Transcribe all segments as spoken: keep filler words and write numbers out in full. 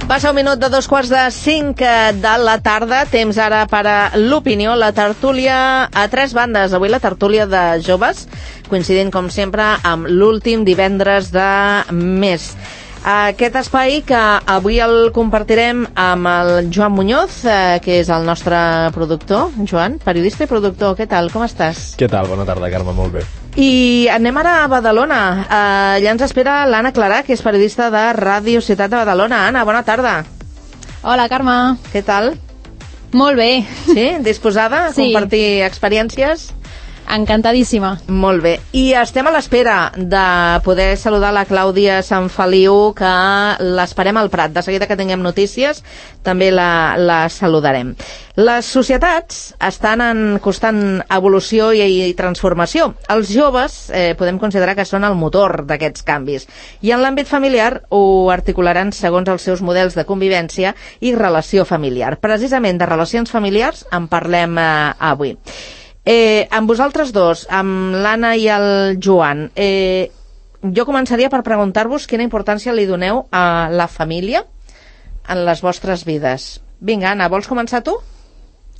Passa un minut de dos quarts de cinc de la tarda, temps ara per a l'opinió, la tertúlia a tres bandes. Avui la tertúlia de joves, coincidint com sempre amb l'últim divendres de mes. Aquest espai que avui el compartirem amb el Joan Muñoz, eh, que és el nostre productor. Joan, periodista i productor, què tal? Com estàs? Què tal? Bona tarda, Carme, molt bé. I anem ara a Badalona. Eh, allà ens espera l'Anna Clarà, que és periodista de Ràdio Ciutat de Badalona. Anna, bona tarda. Hola, Carme. Què tal? Molt bé. Sí? Disposada a sí. compartir experiències? Encantadíssima. Molt bé. I estem a l'espera de poder saludar la Clàudia Sant Feliu, que l'esperem al Prat. De seguida que tinguem notícies, també la, la saludarem. Les societats estan en constant evolució i, i transformació. Els joves eh, podem considerar que són el motor d'aquests canvis. I en l'àmbit familiar ho articularan segons els seus models de convivència i relació familiar. Precisament de relacions familiars en parlem eh, avui. Eh, amb vosaltres dos, amb l'Anna i el Joan, eh, jo començaria per preguntar-vos quina importància li doneu a la família en les vostres vides. Vinga, Anna, vols començar tu?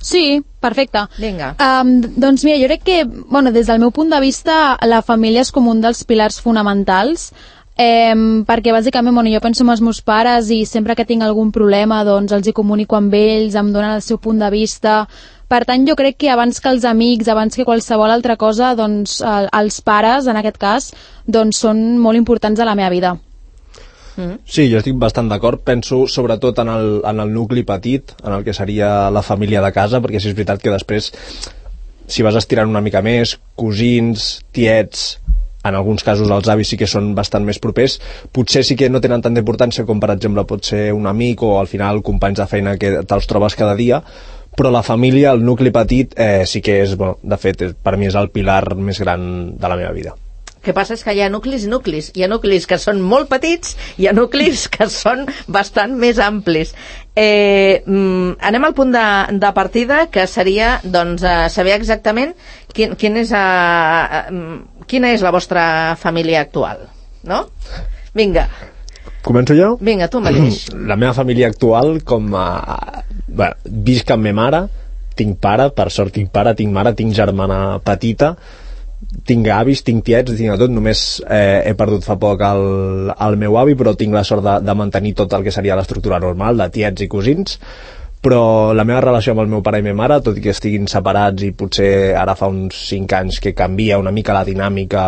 Sí, perfecte. Vinga. Um, doncs mira, jo crec que, bueno, des del meu punt de vista, la família és com un dels pilars fonamentals, eh, perquè bàsicament, bueno, jo penso en els meus pares i sempre que tinc algun problema, doncs els hi comunico amb ells, em donen el seu punt de vista. Per tant, jo crec que abans que els amics, abans que qualsevol altra cosa, doncs els pares, en aquest cas, doncs són molt importants a la meva vida. Sí, jo estic bastant d'acord. Penso sobretot en el, en el nucli petit, en el que seria la família de casa, perquè sí és veritat que després, si vas estirant una mica més, cosins, tiets, en alguns casos els avis sí que són bastant més propers, potser sí que no tenen tanta importància com per exemple pot ser un amic o al final companys de feina que te'ls trobes cada dia, però la família, el nucli petit, eh, sí que és, bueno, de fet, per mi és el pilar més gran de la meva vida. El que passa és que hi ha nuclis i nuclis. Hi ha nuclis que són molt petits, hi ha nuclis que són bastant més amplis. Eh, mm, anem al punt de, de partida, que seria doncs, eh, saber exactament quin, quin és, eh, quina és la vostra família actual, no? Vinga. Començo jo? Vinga, tu mateix. La meva família actual, com a... Bé, visc amb ma mare, tinc pare, per sort tinc pare, tinc mare, tinc germana petita, tinc avis, tinc tiets, tinc tot. Només eh, he perdut fa poc el, el meu avi, però tinc la sort de, de mantenir tot el que seria l'estructura normal de tiets i cosins. Però la meva relació amb el meu pare i ma mare, tot i que estiguin separats i potser ara fa uns cinc anys que canvia una mica la dinàmica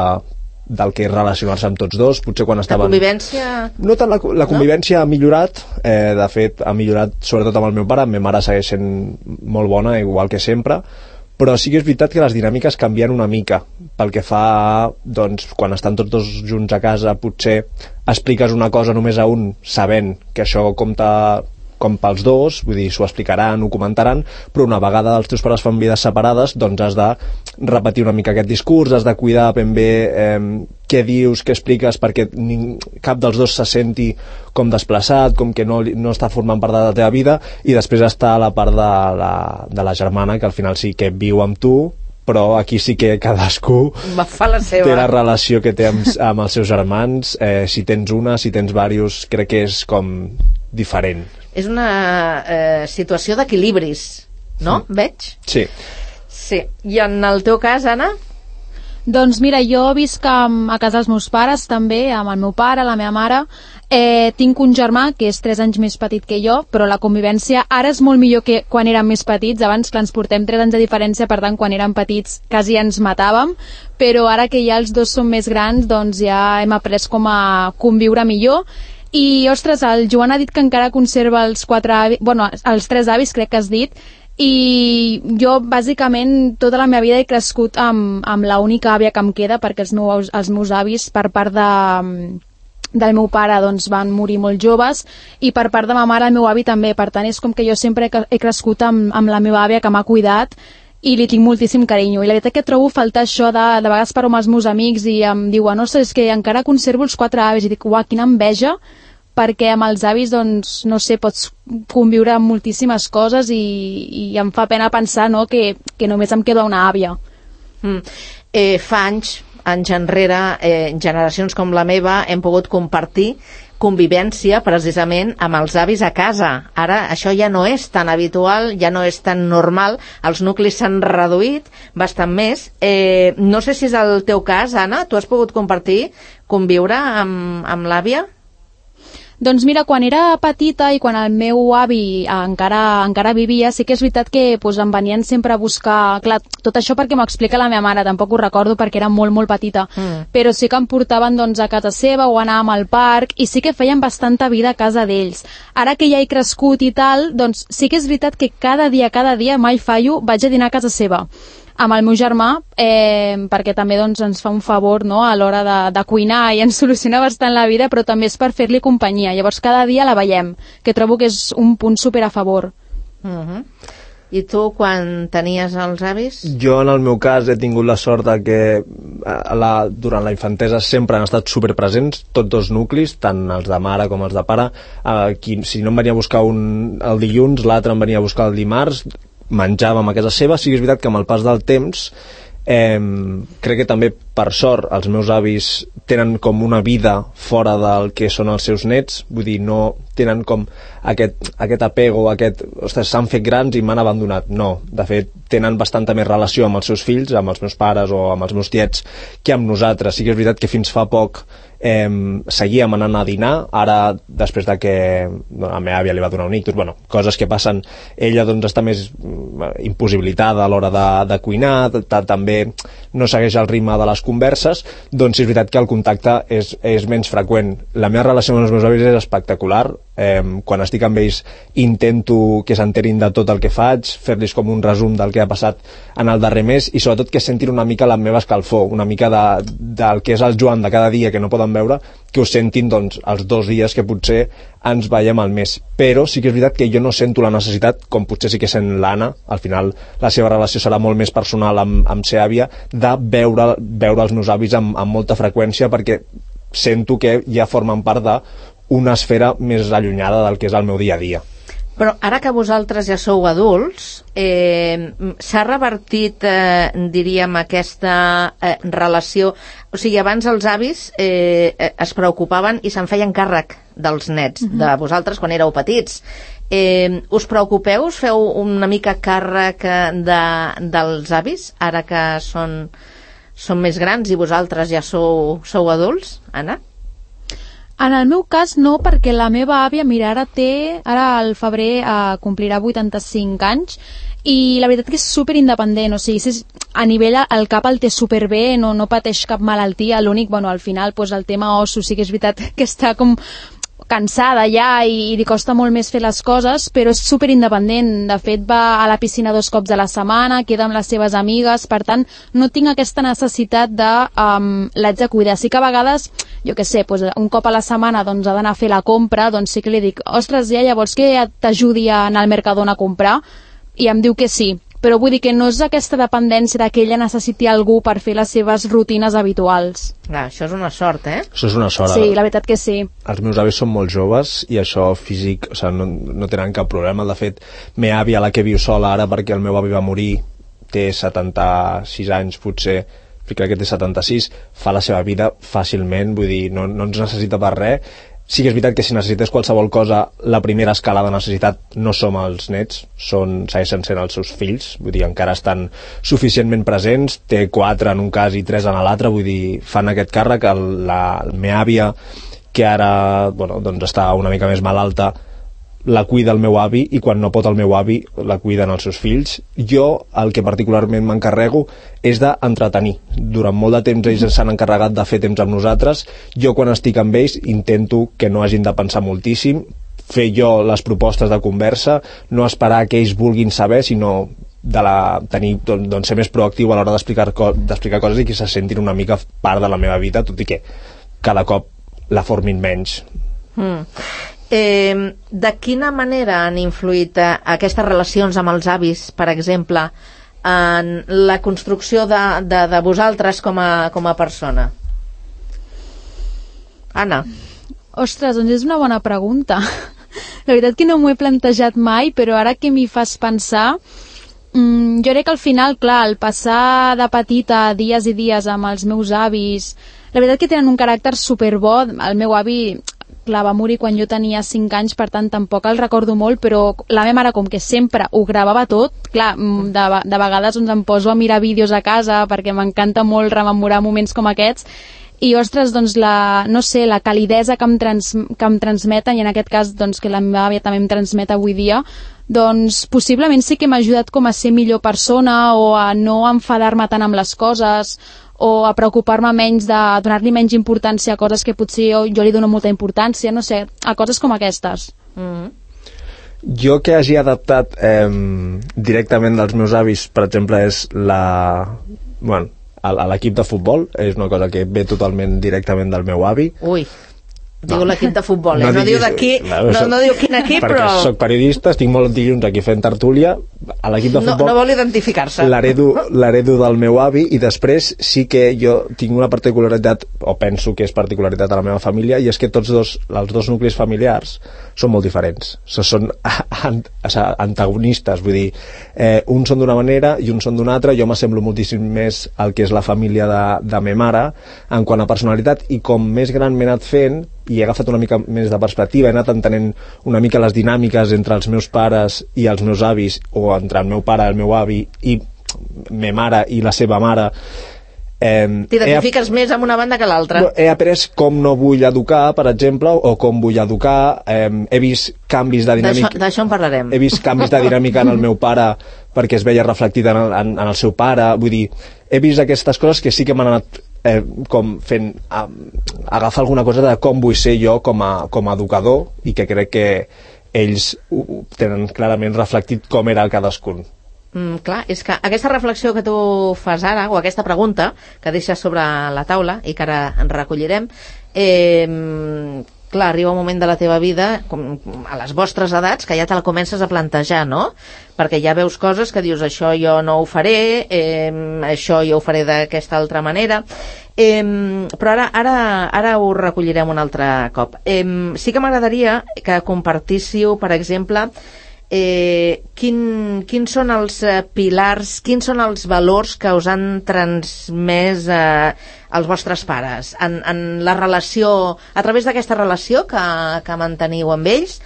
del que és relacionar-se amb tots dos, potser quan estaven... La convivència... No tant la, la convivència no? ha millorat, eh, de fet ha millorat sobretot amb el meu pare, ma mare segueix sent molt bona, igual que sempre, però sí que és veritat que les dinàmiques canvien una mica, pel que fa a, doncs, quan estan tots dos junts a casa, potser expliques una cosa només a un, sabent que això compta com pels dos, vull dir, s'ho explicaran, ho comentaran, però una vegada els teus pares fan vides separades, doncs has de repetir una mica aquest discurs, has de cuidar ben bé eh, què dius, què expliques, perquè ning, cap dels dos se senti com desplaçat, com que no, no està formant part de la teva vida, i després està la part de la, de la germana, que al final sí que viu amb tu, però aquí sí que cadascú va fa la seva. Té la relació que té amb, amb els seus germans, eh, si tens una, si tens diversos, crec que és com diferent. És una eh, situació d'equilibris, no? Sí. Veig? Sí. Sí. I en el teu cas, Anna? Doncs mira, jo visc a casa dels meus pares també, amb el meu pare, la meva mare. Eh, tinc un germà que és tres anys més petit que jo, però la convivència ara és molt millor que quan érem més petits. Abans, clar, ens portem tres anys de diferència, per tant, quan érem petits quasi ens matàvem, però ara que ja els dos són més grans, doncs ja hem après com a conviure millor. I, ostres, el Joan ha dit que encara conserva els quatre avis, bueno, els tres avis, crec que has dit, i jo, bàsicament, tota la meva vida he crescut amb, amb l'única àvia que em queda, perquè els meus, els meus avis, per part de, del meu pare, doncs, van morir molt joves, i per part de ma mare, el meu avi també. Per tant, és com que jo sempre he crescut amb, amb la meva àvia, que m'ha cuidat, i li tinc moltíssim carinyo. I la veritat que trobo faltar això de, de vegades parlo amb els meus amics i em diuen, no sé, és que encara conservo els quatre avis, i dic, uah, quina enveja, perquè amb els avis, doncs, no sé, pots conviure amb moltíssimes coses i, i em fa pena pensar, no?, que, que només em queda una àvia. Mm. Eh, fa anys, anys enrere, eh, generacions com la meva, hem pogut compartir convivència precisament amb els avis a casa. Ara això ja no és tan habitual, ja no és tan normal, els nuclis s'han reduït bastant més. Eh, no sé si és el teu cas, Anna, tu has pogut compartir, conviure amb, amb l'àvia? Doncs mira, quan era petita i quan el meu avi encara, encara vivia, sí que és veritat que pues, em venien sempre a buscar... Clar, tot això perquè m'ho explica la meva mare, tampoc ho recordo perquè era molt, molt petita, mm. però sí que em portaven doncs, a casa seva o anàvem al parc i sí que feien bastanta vida a casa d'ells. Ara que ja he crescut i tal, doncs sí que és veritat que cada dia, cada dia, mai fallo, vaig a dinar a casa seva amb el meu germà, eh, perquè també doncs, ens fa un favor, no?, a l'hora de, de cuinar i ens soluciona bastant la vida, però també és per fer-li companyia. Llavors cada dia la veiem, que trobo que és un punt super a favor. Uh-huh. I tu, quan tenies els avis? Jo, en el meu cas, he tingut la sort de que a la, durant la infantesa sempre han estat superpresents, tots dos nuclis, tant els de mare com els de pare. Eh, qui, si no em venia a buscar un el dilluns, l'altre em venia a buscar el dimarts, menjàvem a casa seva. Sí que és veritat que amb el pas del temps eh, crec que també per sort els meus avis tenen com una vida fora del que són els seus nets, vull dir, no tenen com aquest, aquest apego, aquest, ostres, s'han fet grans i m'han abandonat. No, de fet tenen bastanta més relació amb els seus fills, amb els meus pares o amb els meus tiets, que amb nosaltres. Sí que és veritat que fins fa poc eh, seguíem anant a dinar. Ara, després de que bueno, a la meva àvia li va donar un ictus, bueno, coses que passen, ella doncs està més impossibilitada a l'hora de, de cuinar, també no segueix el ritme de les converses, doncs és veritat que el contacte és, és menys freqüent. La meva relació amb els meus avis és espectacular. Eh, quan estic amb ells intento que s'enterin de tot el que faig, fer-los com un resum del que ha passat en el darrer mes i sobretot que sentin una mica la meva escalfor, una mica de, del que és el Joan de cada dia que no poden veure, que ho sentin doncs, els dos dies que potser ens veiem al mes. Però sí que és veritat que jo no sento la necessitat, com potser sí que sent l'Anna, al final la seva relació serà molt més personal amb, amb ser àvia, de veure, veure els meus avis amb, amb molta freqüència, perquè sento que ja formen part d'una esfera més allunyada del que és el meu dia a dia. Però ara que vosaltres ja sou adults, eh, s'ha revertit, eh, diríem, aquesta eh, relació. O sigui, abans els avis eh, es preocupaven i se'n feien càrrec dels nets, uh-huh. de vosaltres quan éreu petits. Eh, us preocupeu, us feu una mica càrrec de, dels avis, ara que són, són més grans i vosaltres ja sou, sou adults, Anna? En el meu cas no, perquè la meva àvia, mira, ara té, ara al febrer eh, complirà vuitanta-cinc anys i la veritat que és superindependent, o sigui, és, a nivell el cap el té superbé, no, no pateix cap malaltia, l'únic, bueno, al final pues, el tema ossos sí que és veritat que està com cansada ja i, i li costa molt més fer les coses, però és superindependent. De fet, va a la piscina dos cops a la setmana, queda amb les seves amigues, per tant, no tinc aquesta necessitat de um, l'haig de cuidar. Sí que a vegades, jo què sé, doncs, un cop a la setmana doncs, ha d'anar a fer la compra, doncs sí que li dic, ostres, ja, llavors que t'ajudi a anar al Mercadona a comprar? I em diu que sí. Però vull dir que no és aquesta dependència de que ella necessiti algú per fer les seves rutines habituals. Ah, això és una sort, eh? Això és una sort. Sí, la veritat que sí. Els meus avis són molt joves i això físic, o sigui, no, no tenen cap problema. De fet, meva àvia, la que viu sola ara perquè el meu avi va morir, té setanta-sis anys potser, crec que té setanta-sis, fa la seva vida fàcilment, vull dir, no, no ens necessita per res. Sí que és veritat que si necessités qualsevol cosa, la primera escala de necessitat no som els nets, són, segueixen sent els seus fills, vull dir, encara estan suficientment presents, té quatre en un cas i tres en l'altre, vull dir, fan aquest càrrec. El, la, la meva àvia, que ara bueno, doncs està una mica més malalta, la cuida el meu avi i quan no pot el meu avi la cuiden els seus fills. Jo el que particularment m'encarrego és d'entretenir. Durant molt de temps ells s'han encarregat de fer temps amb nosaltres. Jo quan estic amb ells intento que no hagin de pensar moltíssim, fer jo les propostes de conversa, no esperar que ells vulguin saber, sinó de la, tenir, doncs, doncs ser més proactiu a l'hora d'explicar d'explicar coses i que se sentin una mica part de la meva vida, tot i que cada cop la formin menys. Mm. Eh, de quina manera han influït eh, aquestes relacions amb els avis, per exemple, en la construcció de, de, de vosaltres com a, com a persona? Anna? Ostres, doncs és una bona pregunta. La veritat que no m'ho he plantejat mai, però ara que m'hi fas pensar, Mm, jo crec que al final, clar, el passar de petita dies i dies amb els meus avis, la veritat que tenen un caràcter superbo. El meu avi, clar, va morir quan jo tenia cinc anys, per tant tampoc el recordo molt, però la meva mare, com que sempre ho gravava tot, clar, de, de vegades doncs, em poso a mirar vídeos a casa perquè m'encanta molt rememorar moments com aquests, i ostres, doncs la, no sé, la calidesa que em, trans, que em transmeten, i en aquest cas doncs, que la meva àvia també em transmet avui dia, doncs possiblement sí que m'ha ajudat com a ser millor persona, o a no enfadar-me tant amb les coses, o a preocupar-me menys, de donar-li menys importància a coses que potser jo, jo li dono molta importància, no sé, a coses com aquestes. Mm-hmm. Jo que hagi adaptat eh, directament dels meus avis, per exemple, és la... Bueno, a, a l'equip de futbol, és una cosa que ve totalment directament del meu avi. Ui, diu no. L'equip de futbol, eh? no, no diu d'aquí, no, no, no diu quin equip, perquè però... Perquè soc periodista, estic molt dilluns aquí fent tertúlia, a l'equip de futbol... No, no vol identificar-se. L'heredo del meu avi, i després sí que jo tinc una particularitat, o penso que és particularitat de la meva família, i és que tots dos, els dos nuclis familiars són molt diferents. So, són an, antagonistes, vull dir, eh, uns són d'una manera i uns són d'una altra. Jo m'assemblo moltíssim més al que és la família de, de ma mare en quant a personalitat, i com més gran m'he anat fent i he agafat una mica més de perspectiva, he anat entenent una mica les dinàmiques entre els meus pares i els meus avis, o entre el meu pare i el meu avi, i ma mare i la seva mare. Eh, T'identifiques més amb una banda que l'altra. He après com no vull educar, per exemple, o com vull educar. Eh, he vist canvis de dinàmica... D'això en parlarem. He vist canvis de dinàmica en el meu pare perquè es veia reflectit en el, en, en el seu pare. Vull dir, he vist aquestes coses que sí que m'han anat eh, com fent a, agafar alguna cosa de com vull ser jo com a, com a educador, i que crec que ells ho tenen clarament reflectit com era el cadascun. Mm, clar, és que aquesta reflexió que tu fas ara, o aquesta pregunta que deixes sobre la taula i que ara en recollirem, eh, clar, arriba un moment de la teva vida, com a les vostres edats, que ja te la comences a plantejar, no? Perquè ja veus coses que dius, això jo no ho faré, eh, això jo ho faré d'aquesta altra manera, eh, però ara, ara, ara ho recollirem un altre cop. Eh, sí que m'agradaria que compartíssiu, per exemple, Eh, quin, quins són els eh, pilars, quins són els valors que us han transmès eh, els vostres pares en, en la relació, a través d'aquesta relació que, que manteniu amb ells.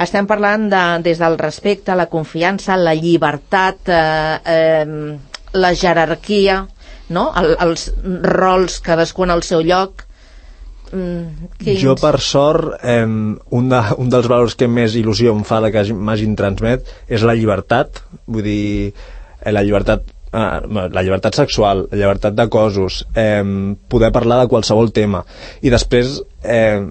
Estem parlant de, des del respecte, la confiança, la llibertat, eh, eh, la jerarquia, no? El, els rols, cadascú en el seu lloc. Mm, jo, per sort, eh, un, de, un dels valors que més il·lusió em fa de que m'hagin transmet és la llibertat. Vull dir, eh, la llibertat eh, la llibertat sexual, la llibertat de cossos, eh, poder parlar de qualsevol tema. I després eh,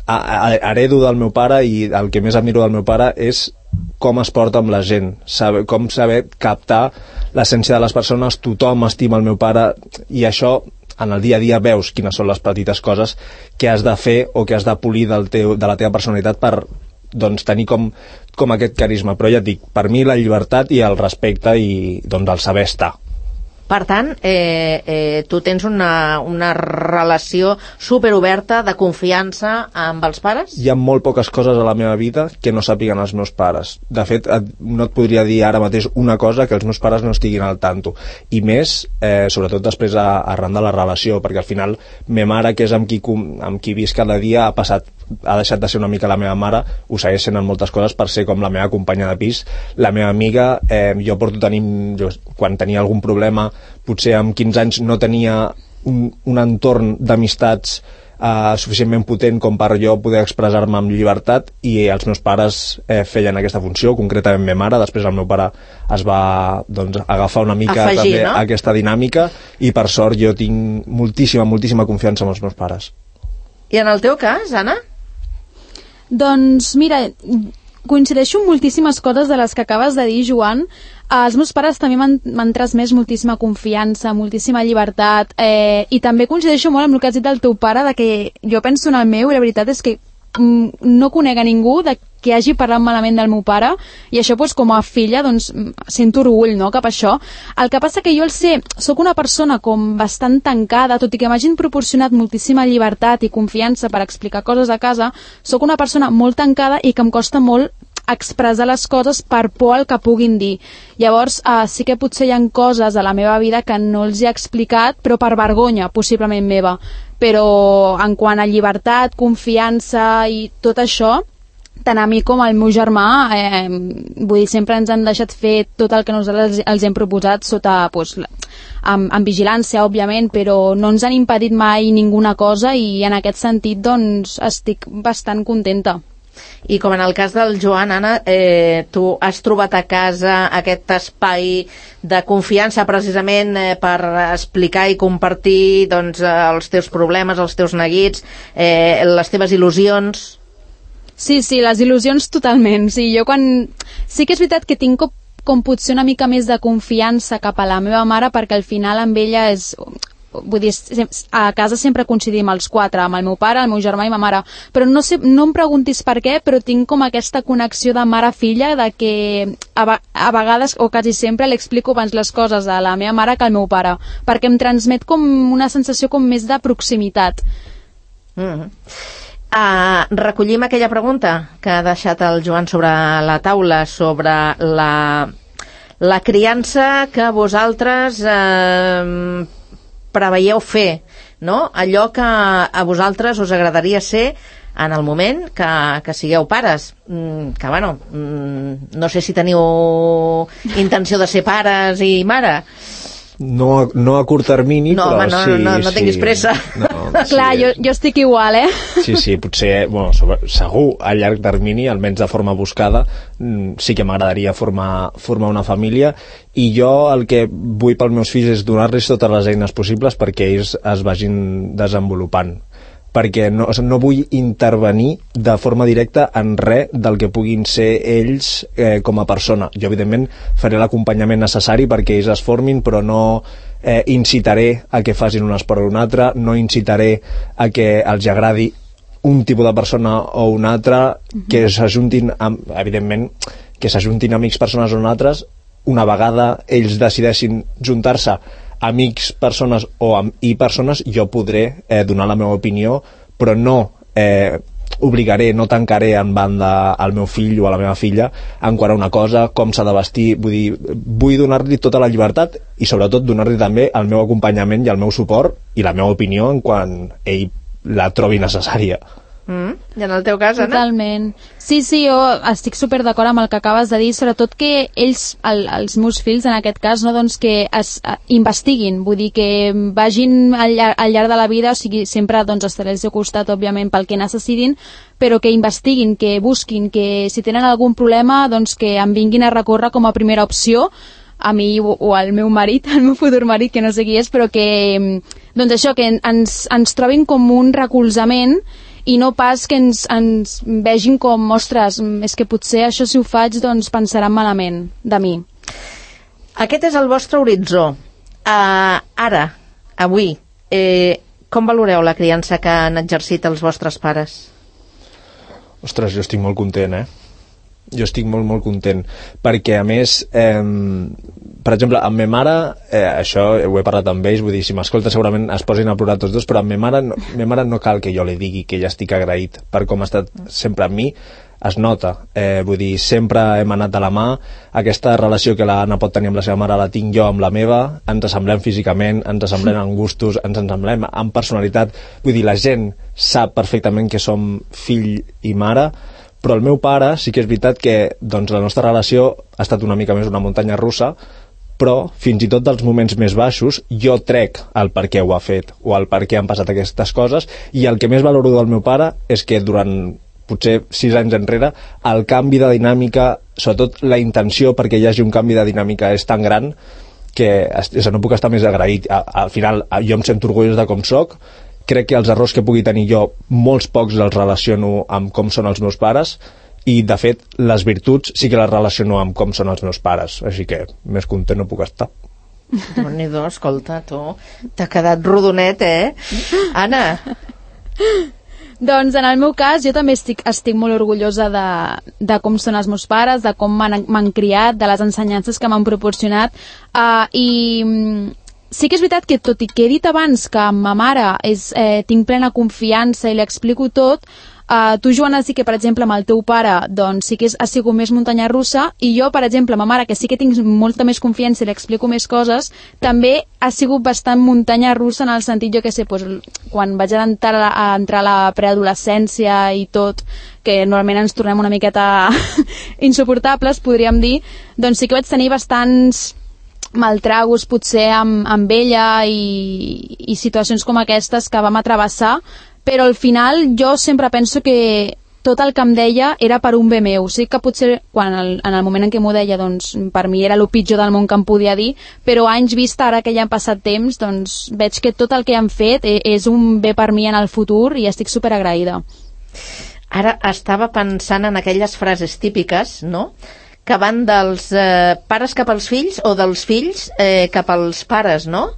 a, a, heredo del meu pare, i el que més admiro del meu pare és com es porta amb la gent, saber, com saber captar l'essència de les persones. Tothom estima el meu pare, i això en el dia a dia veus quines són les petites coses que has de fer o que has de polir del teu, de la teva personalitat per, doncs, tenir com, com aquest carisma. Però ja et dic, per mi la llibertat i el respecte i, doncs, el saber estar. Per tant, eh, eh, tu tens una, una relació superoberta de confiança amb els pares? Hi ha molt poques coses a la meva vida que no sàpiguen els meus pares. De fet, et, no et podria dir ara mateix una cosa que els meus pares no estiguin al tanto. I més, eh, sobretot després a, arran de la relació, perquè al final ma mare, que és amb qui, amb qui visc cada dia, ha passat, ha deixat de ser una mica la meva mare, ho segueix sent en moltes coses per ser com la meva companya de pis, la meva amiga. Eh, jo porto tenint, jo, quan tenia algun problema, potser amb quinze anys no tenia un, un entorn d'amistats eh, suficientment potent com per jo poder expressar-me amb llibertat, i els meus pares eh, feien aquesta funció, concretament ma mare. Després el meu pare es va, doncs, agafar una mica Afegir, també no? aquesta dinàmica, i per sort jo tinc moltíssima, moltíssima confiança en els meus pares. I en el teu cas, Anna? Doncs mira, coincideixo amb moltíssimes coses de les que acabes de dir, Joan. Els meus pares també m'han transmès moltíssima confiança, moltíssima llibertat, eh, i també coincideixo molt amb el que has dit del teu pare, de que jo penso en el meu, i la veritat és que mm, no conec a ningú de que hagi parlat malament del meu pare, i això, doncs, com a filla, doncs, sento orgull, no?, cap a això. El que passa que jo el sé, sóc una persona com bastant tancada, tot i que m'hagin proporcionat moltíssima llibertat i confiança per explicar coses a casa, sóc una persona molt tancada i que em costa molt expressar les coses per por al que puguin dir. Llavors, eh, sí que potser hi ha coses a la meva vida que no els he explicat, però per vergonya, possiblement meva. Però en quant a llibertat, confiança i tot això, tant a mi com al meu germà, eh, vull dir, sempre ens han deixat fer tot el que nosaltres els hem proposat sota, pues, amb, amb vigilància, òbviament, però no ens han impedit mai ninguna cosa i en aquest sentit, doncs, estic bastant contenta. I com en el cas del Joan, Anna, eh, tu has trobat a casa aquest espai de confiança precisament eh, per explicar i compartir doncs, els teus problemes, els teus neguits, eh, les teves il·lusions? Sí, sí, les il·lusions totalment. Sí, jo quan... sí que és veritat que tinc com, com potser una mica més de confiança cap a la meva mare, perquè al final amb ella és... vull dir, a casa sempre coincidim els quatre, amb el meu pare, el meu germà i ma mare, però no, sé, no em preguntis per què, però tinc com aquesta connexió de mare-filla, de que a, a vegades, o quasi sempre, li explico abans les coses a la meva mare que al meu pare, perquè em transmet com una sensació com més de proximitat. Mm-hmm. Uh, recollim aquella pregunta que ha deixat el Joan sobre la taula, sobre la, la criança que vosaltres eh, preveieu fer, no? Allò que a vosaltres us agradaria ser en el moment que, que sigueu pares, mm, que bueno, mm, no sé si teniu intenció de ser pares i mare. No, no a curt termini, no, però home, no, sí... no, no, no sí. tinguis pressa. No, sí. Clar, jo, jo estic igual, eh? Sí, sí, potser, bueno, segur a llarg termini, almenys de forma buscada, sí que m'agradaria formar, formar una família, i jo el que vull pels meus fills és donar-los totes les eines possibles perquè ells es vagin desenvolupant, perquè no, no vull intervenir de forma directa en res del que puguin ser ells eh, com a persona. Jo, evidentment, faré l'acompanyament necessari perquè ells es formin, però no eh, incitaré a que facin un esport o un altre, no incitaré a que els agradi un tipus de persona o un altre, uh-huh. que s'ajuntin, amb, evidentment, que s'ajuntin amics, persones o altres, una vegada ells decideixin juntar-se amics, persones o amb i persones, jo podré eh, donar la meva opinió, però no eh, obligaré, no tancaré en banda al meu fill o a la meva filla en quant a una cosa, com s'ha de vestir. Vull dir, vull donar-li tota la llibertat i sobretot donar-li també el meu acompanyament i el meu suport i la meva opinió en quan ell la trobi necessària. Mm, I en el teu cas, Anna? Totalment. Sí, sí, jo estic super d'acord amb el que acabes de dir, sobretot que ells, el, els meus fills en aquest cas, no, doncs que es uh, investiguin, vull dir que vagin al, llar al llarg de la vida, o sigui, sempre doncs, estaré al seu costat, òbviament, pel que necessitin, però que investiguin, que busquin, que si tenen algun problema, doncs que em vinguin a recórrer com a primera opció, a mi o, o al meu marit, al meu futur marit, que no sé qui és, però que, doncs això, que ens, ens trobin com un recolzament i no pas que ens, ens vegin com, ostres, és que potser això si ho faig doncs pensaran malament de mi. Aquest és el vostre horitzó. Uh, ara, avui, eh, com valoreu la criança que han exercit els vostres pares? Ostres, jo estic molt content, eh? Jo estic molt, molt content, perquè a més, eh, per exemple, amb ma mare, eh, això ho he parlat amb ells, vull dir, si m'escolta segurament es posin a plorar tots dos, però amb ma mare, no, ma mare no cal que jo li digui que ja estic agraït per com ha estat sempre amb mi, es nota, eh, vull dir, sempre hem anat de la mà, aquesta relació que l'Anna pot tenir amb la seva mare la tinc jo amb la meva, ens assemblem físicament, ens assemblem en gustos, ens assemblem en personalitat, vull dir, la gent sap perfectament que som fill i mare, però el meu pare sí que és veritat que doncs, la nostra relació ha estat una mica més una muntanya russa, però fins i tot dels moments més baixos jo trec el per què ho ha fet o el per què han passat aquestes coses, i el que més valoro del meu pare és que durant potser sis anys enrere el canvi de dinàmica, sobretot la intenció perquè hi hagi un canvi de dinàmica és tan gran que no puc estar més agraït. Al final jo em sento orgullós de com soc. Crec que els errors que pugui tenir jo, molts pocs els relaciono amb com són els meus pares, i de fet les virtuts sí que les relaciono amb com són els meus pares, així que més content no puc estar. Déu-n'hi-do, escolta, tu t'ha quedat rodonet, eh? Anna? Doncs en el meu cas jo també estic, estic molt orgullosa de, de com són els meus pares, de com m'han criat, de les ensenyances que m'han proporcionat, uh, i sí que és veritat que, tot i que he dit abans que amb ma mare és, eh, tinc plena confiança i li explico tot, Uh, tu, Joana, sí que, per exemple, amb el teu pare, doncs sí que és, ha sigut més muntanya russa, i jo, per exemple, amb ma mare, que sí que tinc molta més confiança i li explico més coses, també ha sigut bastant muntanya russa en el sentit, jo que sé, doncs, quan vaig entrar a, a entrar a la preadolescència i tot, que normalment ens tornem una miqueta insuportables, podríem dir, doncs sí que vaig tenir bastants maltragos potser amb, amb ella i, i situacions com aquestes que vam atrevessar, però al final jo sempre penso que tot el que em deia era per un bé meu. Sí que potser quan el, en el moment en què m'ho deia, doncs per mi era el pitjor del món que em podia dir, però anys vista, ara que ja han passat temps, doncs veig que tot el que han fet és un bé per mi en el futur i estic superagraïda. Ara estava pensant en aquelles frases típiques, no?, que van dels eh, pares cap als fills o dels fills eh, cap als pares, no?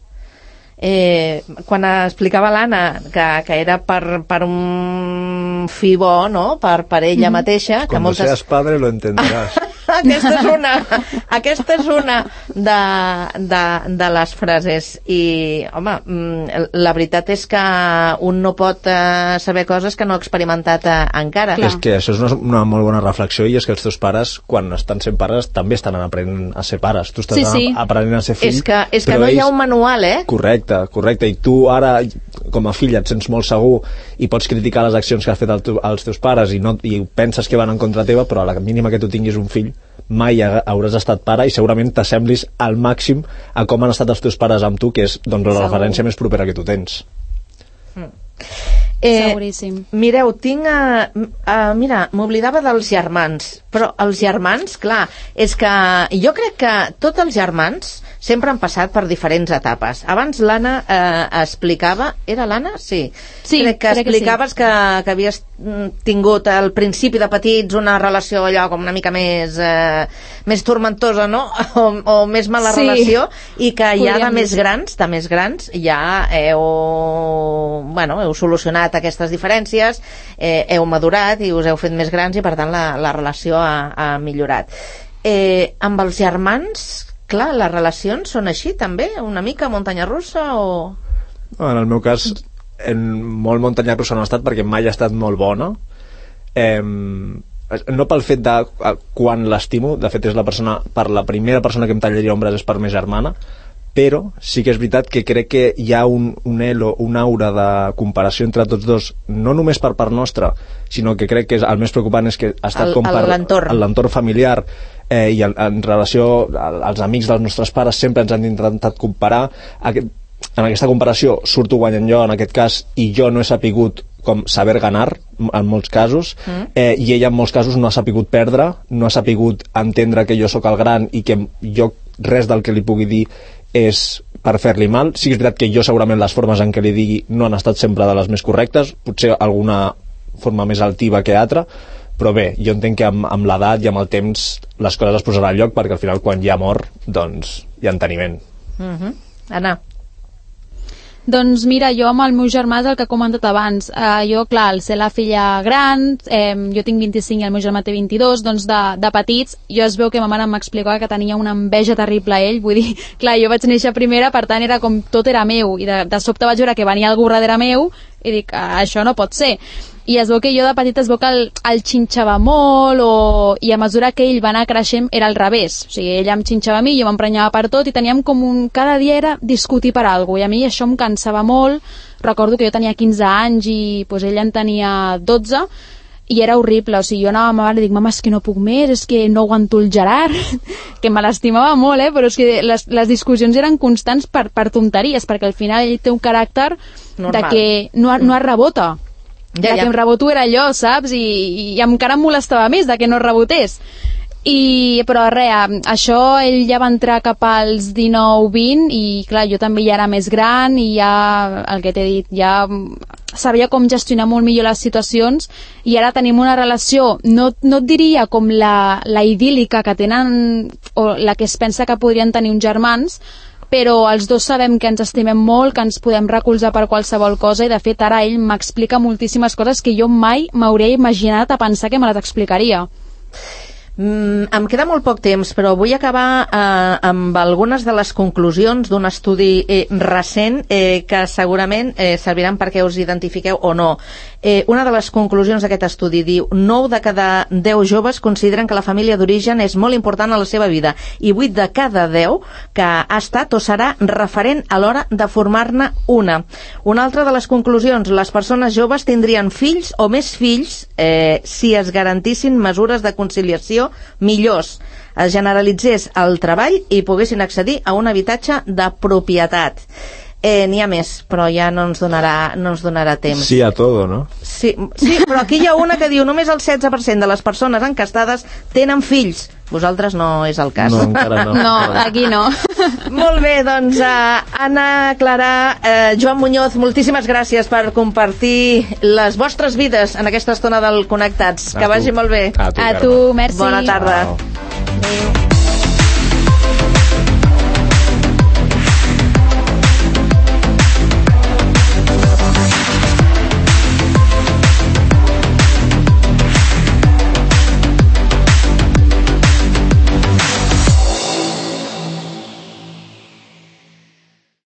Eh, quan explicava l'Anna que, que era per, per un fi bo, no?, per, per ella mm-hmm. mateixa, que Cuando moltes... seas padre lo entenderás. aquesta és una aquesta és una de, de, de les frases. I home, la veritat és que un no pot eh, saber coses que no ha experimentat eh, encara. Clar. És que això és una, una molt bona reflexió, i és que els teus pares, quan estan sent pares, també estan aprenent a ser pares. Tu estàs sí, sí. aprenent a ser fill. És que, és que no ells... hi ha un manual, eh? Correcte, correcte. I tu ara, com a fill, et sents molt segur i pots criticar les accions que has fet el teu, els teus pares i, no, i penses que van en contra teva, però a la mínima que tu tinguis un fill, mai hauràs estat pare i segurament t'assemblis al màxim a com han estat els teus pares amb tu, que és doncs, la referència més propera que tu tens. Mm. Eh, Seguríssim. Mireu, tinc... A, a, mira, m'oblidava dels germans, però els germans, clar, és que jo crec que tots els germans sempre han passat per diferents etapes. Abans l'Anna eh, explicava... Era l'Anna? Sí. Sí, crec que crec explicaves que, sí. que, que havies tingut al principi de petits una relació allò com una mica més eh, més tormentosa, no? O, o més mala sí. relació, i que ja de més dir. grans, de més grans, ja heu, bueno, heu solucionat aquestes diferències, eh, heu madurat i us heu fet més grans i per tant la, la relació ha, ha millorat. Eh, amb els germans, clar, les relacions són així també? Una mica muntanya russa o...? En el meu cas, en molt muntanya russa no ha estat, perquè mai ha estat molt bona. Eh, no pel fet de quan l'estimo, de fet és la persona, per la primera persona que em tallaria ombres és per ma germana, però sí que és veritat que crec que hi ha un, un elo, una aura de comparació entre tots dos, no només per part nostra, sinó que crec que és, el més preocupant és que ha estat el, com per l'entorn familiar, eh, i en, en relació als amics dels nostres pares sempre ens han intentat comparar. Aquest, en aquesta comparació surto guanyant jo en aquest cas, i jo no he sapigut com saber ganar en molts casos, mm. eh, i ella en molts casos no ha sapigut perdre, no ha sapigut entendre que jo sóc el gran i que jo res del que li pugui dir és per fer-li mal. Sí que és veritat que jo segurament les formes en què li digui no han estat sempre de les més correctes, potser alguna forma més altiva que altra, però bé, jo entenc que amb, amb l'edat i amb el temps les coses es posaran al lloc, perquè al final quan hi ha amor doncs hi ha enteniment. Mm-hmm. Anna? Doncs mira, jo amb el meu germà és el que he comentat abans. Uh, jo, clar, al ser la filla gran, eh, jo tinc vint-i-cinc i el meu germà té vint-i-dos, doncs de, de petits jo es veu que ma mare m'explicava que tenia una enveja terrible a ell, vull dir, clar, jo vaig néixer primera, per tant era com tot era meu, i de, de sobte vaig veure que venia algú darrere meu i dic, ah, això no pot ser. I es veu que jo de petita es veu que el, el xinxava molt, o... i a mesura que ell va anar creixent era al revés, o sigui, ella em xinxava a mi, jo m'emprenyava per tot, i teníem com un... cada dia era discutir per alguna cosa, i a mi això em cansava molt. Recordo que jo tenia quinze anys i pues, ella en tenia dotze, i era horrible, o sigui, jo anava a ma mare i dic, mama, és que no puc més, és que no aguanto el Gerard, que me l'estimava molt, eh? Però és que les, les discussions eren constants per, per tonteries, perquè al final ell té un caràcter normal, de que no, no es rebota. Ja, ja. Que em reboto era allò, saps? I, i encara em molestava més de que no rebotés. I, però res, això ell ja va entrar cap als dinou vint i clar, jo també ja era més gran i ja, el que t'he dit, ja sabia com gestionar molt millor les situacions, i ara tenim una relació, no, no et diria com la, la idíl·lica que tenen, o la que es pensa que podrien tenir uns germans, però els dos sabem que ens estimem molt, que ens podem recolzar per qualsevol cosa, i de fet ara ell m'explica moltíssimes coses que jo mai m'hauria imaginat a pensar que me les explicaria. Mm, em queda molt poc temps, però vull acabar eh, amb algunes de les conclusions d'un estudi eh, recent eh, que segurament eh, serviran perquè us identifiqueu o no. Eh, una de les conclusions d'aquest estudi diu: nou de cada deu joves consideren que la família d'origen és molt important a la seva vida i vuit de cada deu que ha estat o serà referent a l'hora de formar-ne una. Una altra de les conclusions: les persones joves tindrien fills o més fills eh, si es garantissin mesures de conciliació millors, es generalitzés el treball i poguessin accedir a un habitatge de propietat. Eh, N'hi ha més, però ja no ens donarà, no ens donarà temps. Sí a todo, no? Sí, sí, però aquí hi ha una que diu només el setze per cent de les persones encastades tenen fills. Vosaltres no és el cas. No, encara no. No, aquí no. Molt bé, doncs uh, Anna, Clara, uh, Joan Muñoz, moltíssimes gràcies per compartir les vostres vides en aquesta estona del Connectats. A que tu. vagi molt bé. A tu, A tu, merci. Bona tarda. Ciao. Adéu.